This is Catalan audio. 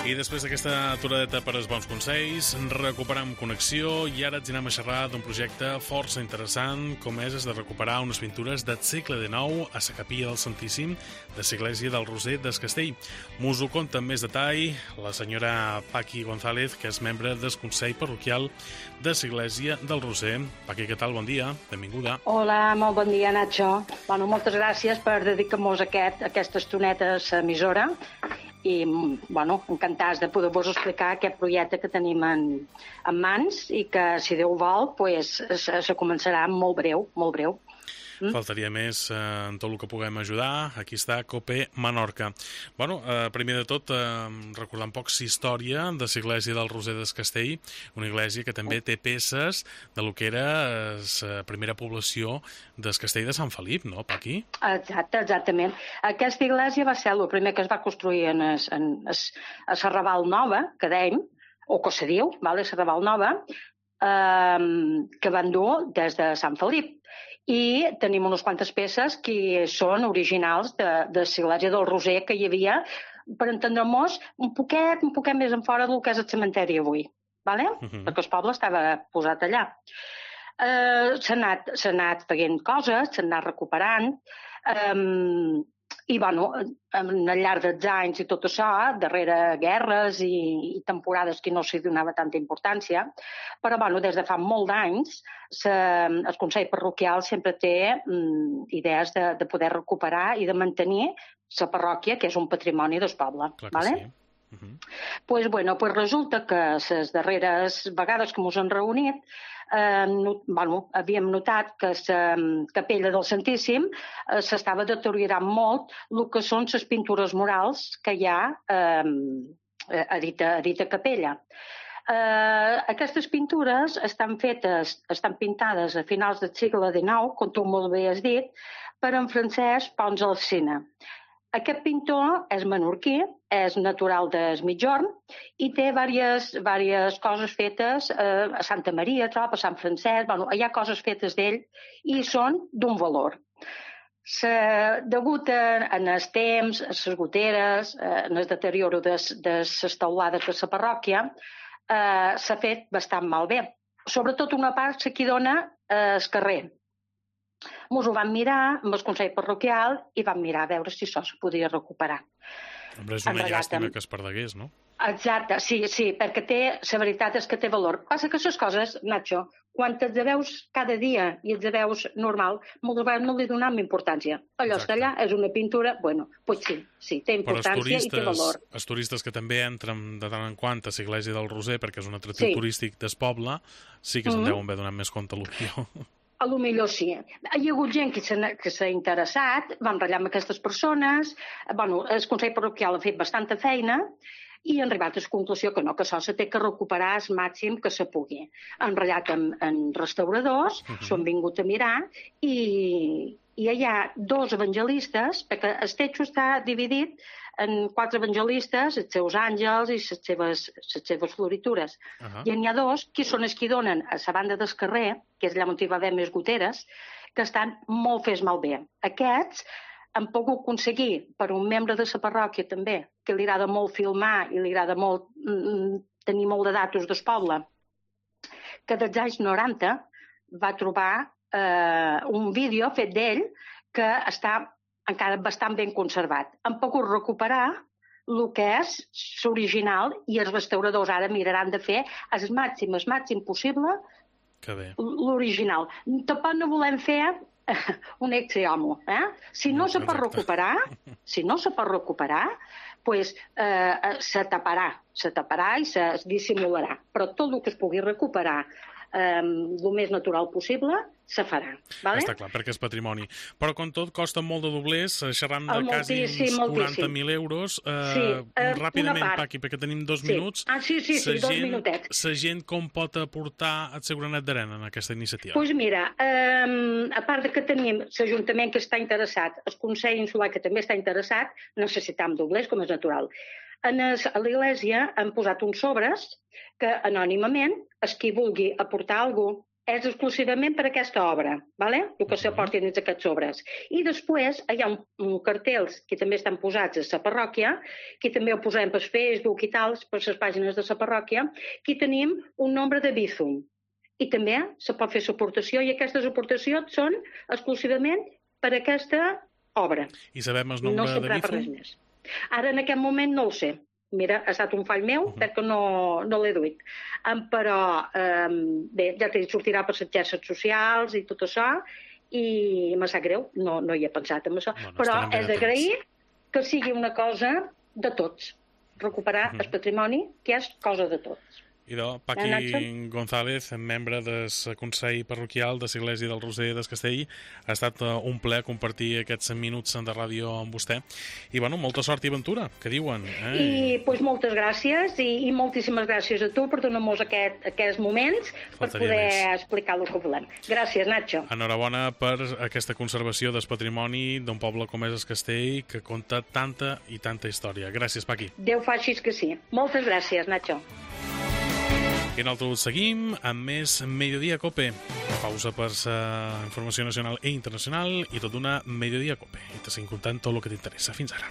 I després d'aquesta aturadeta per als bons consells, recuperam connexió i ara ens anem a xerrar d'un projecte força interessant, com és de recuperar unes pintures del segle XIX a la capilla del Santíssim de l'església del Roser des Castell. Mos ho conta amb més detall la senyora Paqui González, que és membre del Consell Parroquial de l'església del Roser. Paqui, què tal? Bon dia, benvinguda. Hola, molt bon dia, Nacho. Bueno, moltes gràcies per dedicar-nos aquesta estoneta a l'emissora i, bueno, encantats de poder-vos explicar aquest projecte que tenim en mans i que, si Déu vol, pues, se començarà molt breu, molt breu. Faltaria més en tot el que puguem ajudar. Aquí està COPE Menorca. Bueno, primer de tot, recordar un poc la història de l'església del Roser des Castell, una església que també té peces de lo que era la primera població del Castell de Sant Felip, no, Paqui? Exactament. Aquesta església va ser el primer que es va construir a la Raval Nova, que dèiem, o que se diu, la Raval Nova, que van dur des de Sant Felip. I tenim unes quantes peces que són originals de l'església del Roser que hi havia, per entendre-nos, un poquet més en fora del que és el cementeri avui, ¿vale? Perquè el poble estava posat allà. S'ha anat fent coses, s'ha anat recuperant, i, bueno, al llarg dels anys i tot això, darrere guerres i temporades que no s'hi donava tanta importància, però, bueno, des de fa molt d'anys, el Consell Parroquial sempre té idees de poder recuperar i de mantenir la parròquia, que és un patrimoni del poble. Clar que sí. Pues resulta que les darreres vegades que ens hem reunit havíem notat que la capella del Santíssim s'estava deteriorant molt el que són les pintures murals que hi ha a dita capella. Aquestes pintures estan pintades a finals del segle XIX, com tu molt bé has dit, per en Francesc Pons Alsina. Aquest pintor és menorquí, és natural d'Es Migjorn i té diverses coses fetes a Santa Maria, a Sant Francesc, hi ha coses fetes d'ell i són d'un valor. Degut en els temps, a les goteres, en el deterioro de les teulades de la parròquia, s'ha fet bastant malbé. Sobretot una part que dona al carrer. Ens ho vam mirar amb el Consell Parroquial i vam mirar a veure si això se podia recuperar. Hombre, és una llàstima que es perdegués, no? Exacte, sí, perquè la veritat és que té valor. Passa que les coses, Nacho, quan et veus cada dia i et veus normal, moltes vegades no li donem importància. Allò està allà, és una pintura, bueno, pues sí, té importància i té valor. Els turistes que també entren de tant en quant a l'església del Roser, perquè és un atractiu turístic del poble, sí que se'n deuen haver donat més compte potser. A lo millor sí. Hi ha hagut gent que s'ha interessat, vam ratllar amb aquestes persones, el Consell Parroquial ha fet bastanta feina i han arribat a la conclusió que no, que això s'ha de recuperar al màxim que se pugui. Han ratllat amb restauradors, s'ho han vingut a mirar i hi ha dos evangelistes, perquè el text està dividit en 4 evangelistes, els seus àngels i les seves floritures. I n'hi ha 2 que són els que donen a la banda del carrer, que és allà on hi va haver més goteres, que estan molt fes malbé. Aquests han pogut aconseguir per un membre de la parròquia també, que li agrada molt filmar i li agrada molt tenir molt de datos del poble, que dels anys 90 va trobar un vídeo fet d'ell que està encara bastant ben conservat. Han pogut recuperar el que és l'original i els restauradors ara miraran de fer el màxim possible l'original. Tampoc no volem fer un ex homo. Si no se pot recuperar, pues se taparà i se dissimularà. Però tot el que es pugui recuperar el més natural possible se farà. Està clar, perquè és patrimoni. Però, com tot, costa molt de doblers, xerram de quasi uns 40.000 euros. Ràpidament, Paqui, perquè tenim 2 minuts. Sí, 2 minutets. La gent com pot aportar el seu granet d'arena en aquesta iniciativa? Doncs mira, a part que tenim l'Ajuntament que està interessat, el Consell Insular que també està interessat, necessitam doblers, com és natural. A l'església han posat uns sobres que anònimament, qui vulgui aportar alguna cosa, és exclusivament per aquesta obra, ¿vale? El que s'aporti dins aquests obres. I després hi ha un cartells que també estan posats a la parròquia, que també ho posem per Facebook i tal, per les pàgines de la parròquia, que tenim un nombre de Bizum. I també se pot fer l'aportació, i aquestes aportacions són exclusivament per aquesta obra. I sabem el nombre de Bizum? Res més. Ara, en aquest moment, no ho sé. Mira, ha estat un fall meu, perquè no l'he duit. Però, bé, ja t'he dit, sortirà per les xarxes socials i tot això, i me sap greu, no hi he pensat en això. Però és d'agrair que sigui una cosa de tots. Recuperar el patrimoni, que és cosa de tots. Idò, Paqui González, membre del Consell Parroquial de l'Església del Roser del Castell. Ha estat un plaer compartir aquests minuts de ràdio amb vostè. I, bueno, molta sort i aventura, que diuen. I, doncs, moltes gràcies i moltíssimes gràcies a tu per donar-nos aquests moments per poder explicar el que volem. Gràcies, Nacho. Enhorabona per aquesta conservació del patrimoni d'un poble com és el Castell, que conta tanta i tanta història. Gràcies, Paqui. Déu faci que sí. Moltes gràcies, Nacho. I nosaltres seguim amb més Mediodía Cope. Pausa per la informació nacional i internacional i tot d'una Mediodía Cope. I te seguim contant tot el que t'interessa. Fins ara.